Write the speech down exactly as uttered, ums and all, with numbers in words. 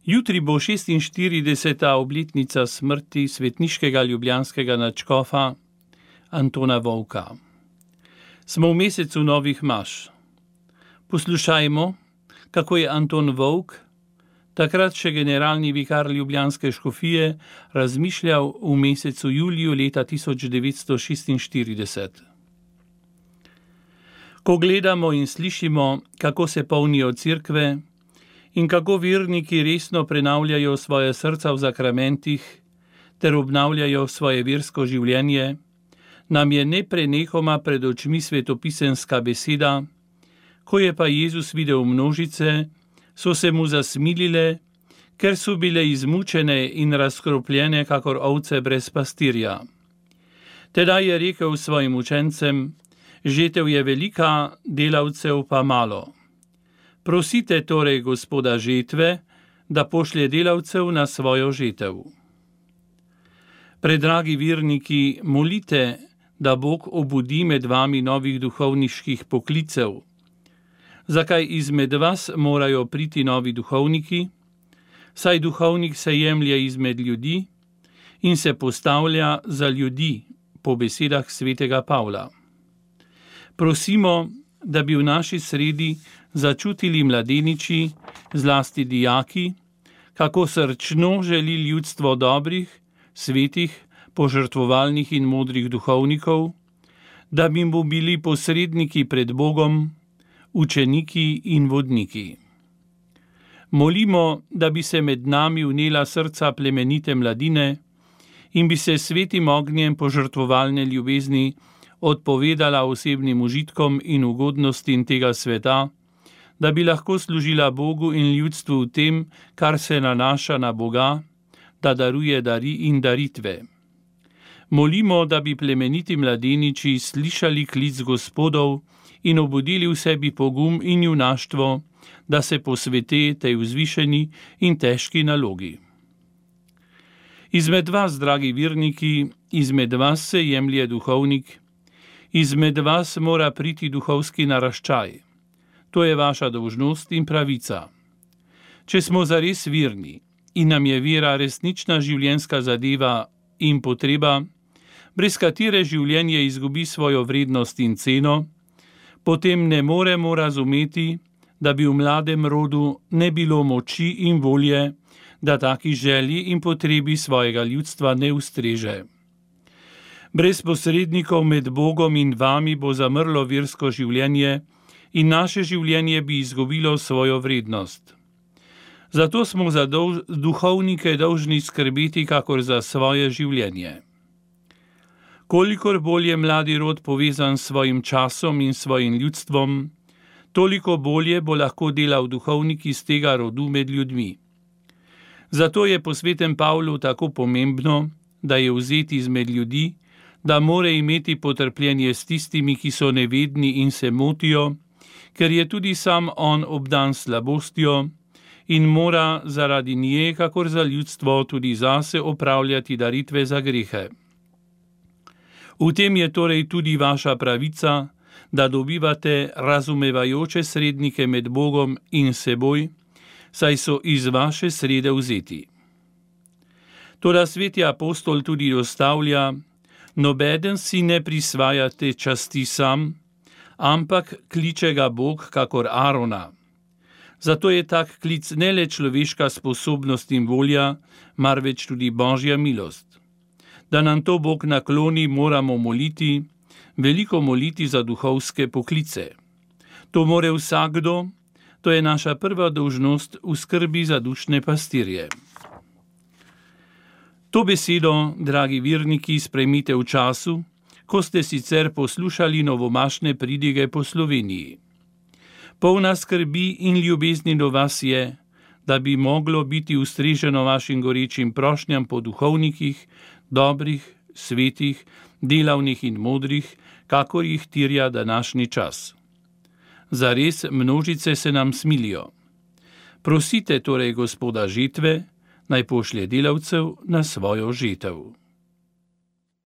Jutri bo šestinštirideseta obletnica smrti svetniškega ljubljanskega nadškofa Antona Vovka. Smo v mesecu novih maš. Poslušajmo, kako je Anton Vovk, takrat še generalni vikar ljubljanske škofije, razmišljal v mesecu juliju leta tisoč devetsto šestinštirideset. Ko gledamo in slišimo, kako se polnijo cerkve in kako verniki resno prenavljajo svoje srca v zakramentih ter obnavljajo svoje versko življenje, nam je neprenehoma pred očmi svetopisemska beseda: ko je pa Jezus videl množice, so se mu zasmilile, ker so bile izmučene in razkropljene kakor ovce brez pastirja. Tedaj je rekel svojim učencem: žetev je velika, delavcev pa malo. Prosite torej Gospoda žetve, da pošlje delavcev na svojo žetev. Predragi verniki, molite, da Bog obudi med vami novih duhovniških poklicev. Zakaj izmed vas morajo priti novi duhovniki? Saj duhovnik se jemlje izmed ljudi in se postavlja za ljudi, po besedah svetega Pavla. Prosimo, da bi v naši sredi začutili mladeniči, zlasti dijaki, kako srčno želi ljudstvo dobrih, svetih, požrtvovalnih in modrih duhovnikov, da bi mu bili posredniki pred Bogom, učeniki in vodniki. Molimo, da bi se med nami vnela srca plemenite mladine in bi se svetim ognjem požrtvovalne ljubezni odpovedala osebnim užitkom in ugodnostim tega sveta, da bi lahko služila Bogu in ljudstvu v tem, kar se nanaša na Boga, da daruje dari in daritve. Molimo, da bi plemeniti mladeniči slišali klic Gospodov in obudili v sebi pogum in junaštvo, da se posvete tej vzvišeni in težki nalogi. Izmed vas, dragi verniki, izmed vas se jemlje duhovnik, izmed vas mora priti duhovski naraščaj. To je vaša dolžnost in pravica. Če smo zares verni in nam je vera resnična življenjska zadeva in potreba, brez katere življenje izgubi svojo vrednost in ceno, potem ne moremo razumeti, da bi v mladem rodu ne bilo moči in volje, da taki želji in potrebi svojega ljudstva ne ustreže. Brez posrednikov med Bogom in vami bo zamrlo versko življenje in naše življenje bi izgubilo svojo vrednost. Zato smo za dolž, duhovnike dolžni skrbeti kakor za svoje življenje. Kolikor bolj je mladi rod povezan s svojim časom in svojim ljudstvom, toliko bolje bo lahko delal duhovnik iz tega rodu med ljudmi. Zato je po svetem Pavlu tako pomembno, da je vzeti izmed ljudi, da more imeti potrpljenje s tistimi, ki so nevedni in se motijo, ker je tudi sam on obdan slabostjo in mora zaradi nje, kakor za ljudstvo, tudi zase opravljati daritve za grehe. V tem je torej tudi vaša pravica, da dobivate razumevajoče srednike med Bogom in seboj, saj so iz vaše srede vzeti. Toda sveti apostol tudi dostavlja: nobeden si ne prisvaja te časti sam, ampak kliče ga Bog kakor Arona. Zato je tak klic ne le človeška sposobnost in volja, marveč tudi Božja milost. Da nam to Bog nakloni, moramo moliti, veliko moliti za duhovske poklice. To more vsakdo, to je naša prva dolžnost v skrbi za dušne pastirje. To besedo, dragi verniki, sprejmite v času, ko ste sicer poslušali novomašne pridige po Sloveniji. Polna skrbi in ljubezni do vas je, da bi moglo biti ustreženo vašim gorečim prošnjam po duhovnikih, dobrih, svetih, delavnih in modrih, kakor jih tirja današnji čas. Zares množice se nam smilijo. Prosite torej Gospoda žetve, naj pošlje delavcev na svojo žetev.